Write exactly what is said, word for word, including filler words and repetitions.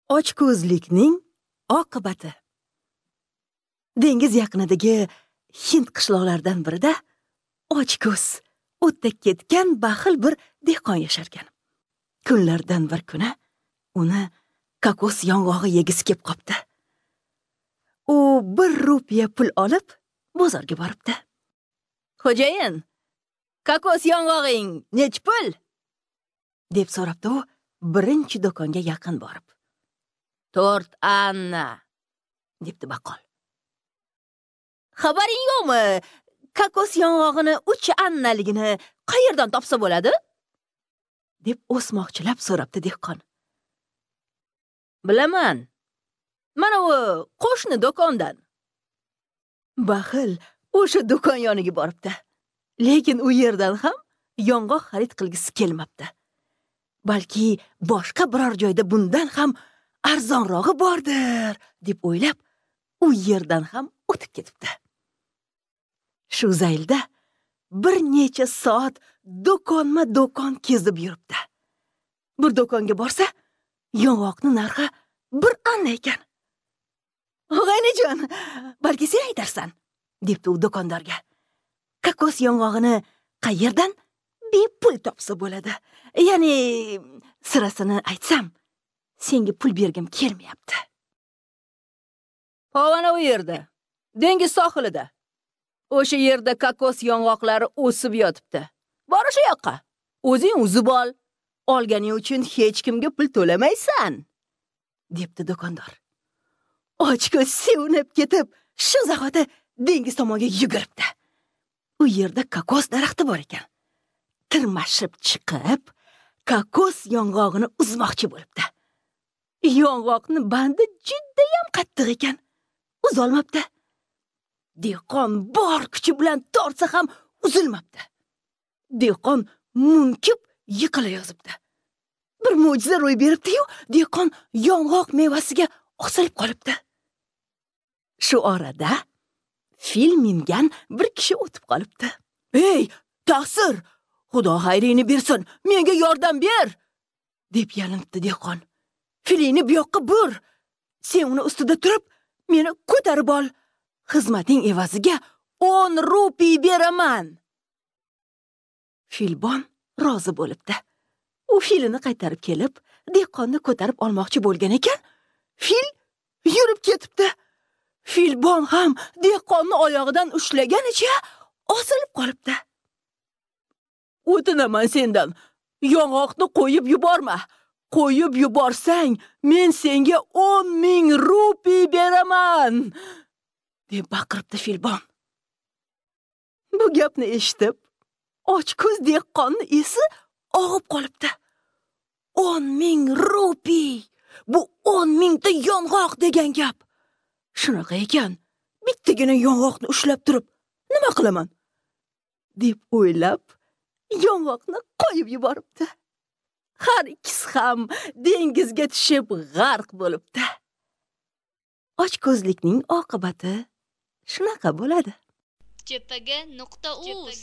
Ochko'zlikning oqibati. Dengiz yaqinidagi Hind qishloqlaridan birida ochko'z, o'tda ketgan baxil bir dehqon yasharkan. Kunlardan bir kuni uni kokos yong'og'i yegisi kelib qopti. U bir rupiya pul olib bozorga boribdi. "Xo'jayin, kokos yong'og'ing nech pul?" deb so'rabdi u birinchi do'konga yaqin borib. "To'rt anna", debdi baqqol. "Xabaring yo'qmi? Kokos yong'og'ini uch annaligini qayerdan topsa bo'ladi?" deb o'smoqchilab so'rabdi dehqon. "Bilaman. Mana u qo'shni do'kondan." Baxil o'sha do'kon yoniga boribdi. Lekin u yerdan ham yong'oq xarid qilgisi kelmabdi. Balki boshqa biror joyda bundan ham arzonrog'i bordir, deb o'ylab, u yerdan ham o'tib ketibdi. Shu zaylda bir necha soat do'konma-do'kon kezib yuribdi. Bir do'konga borsa, yong'oqning narxi bir anna ekan. "Og'aynijon, balki sen aytarsan", debdi u do'kondorga. "Kokos yong'og'ini qayerdan bepul topsa bo'ladi? Ya'ni sirasini aytsam, senga pul bergim kelmayapti." "Pog'ona u yerda, dengiz sohilida. O'sha yerda kokos yong'oqlari o'sib yotibdi. Bor o'sha yoqqa. O'zing uzib ol. Olganing uchun hech kimga pul to'lamaysan", debdi do'kondor. Ochko'z sevinib ketib, shu zahoti dengiz tomonga yuguribdi. U yerda kokos daraxti bor ekan. Tirmashib chiqib, kokos yong'og'ini uzmoqchi bo'libdi. Yong'oqni bandi judayam qattiq ekan. Uzolmabdi. Dehqon bor kuchi bilan tortsa ham uzilmabdi. Dehqon munkib yiqila yozibdi. Bir mo'jiza ro'y beribdi-yu, dehqon yong'oq mevasiga osilib qolibdi. Shu orada fil mingan bir kishi o'tib qolibdi. "Ey, taqsir, Xudo xayringni bersin, menga yordam ber!" deb yalinibdi dehqon. "Filingni bu yoqqa bur. Sen uni ustida turib, meni ko'tarib ol. Xizmating evaziga o'n rupiy beraman." Filbon rozi bo'libdi. U filini qaytarib kelib, dehqonni ko'tarib olmoqchi bo'lgan ekan, fil yurib ketibdi. Filbon ham dehqonni oyog'idan ushlaganicha osilib qolibdi. "O'tinaman sendan, yong'oqni qo'yib yuborma. Qo'yib yuborsang, men senga o'n ming rupiy beraman", deb baqiribdi filbon. Bu gapni eshitib, ochko'z dehqonni esi og'ib qolibdi. o'n ming rupiy! Bu o'n mingta yong'oq degan gap. Shunaqa ekan, bittagina yong'oqni ushlab turib, nima qilaman? deb o'ylab, yong'oqni qo'yib yuboribdi. Har ikkisi ham dengizga tushib g'arq bo'libdi. Ochko'zlikning oqibati shunaqa bo'ladi. J P G nuqta uz.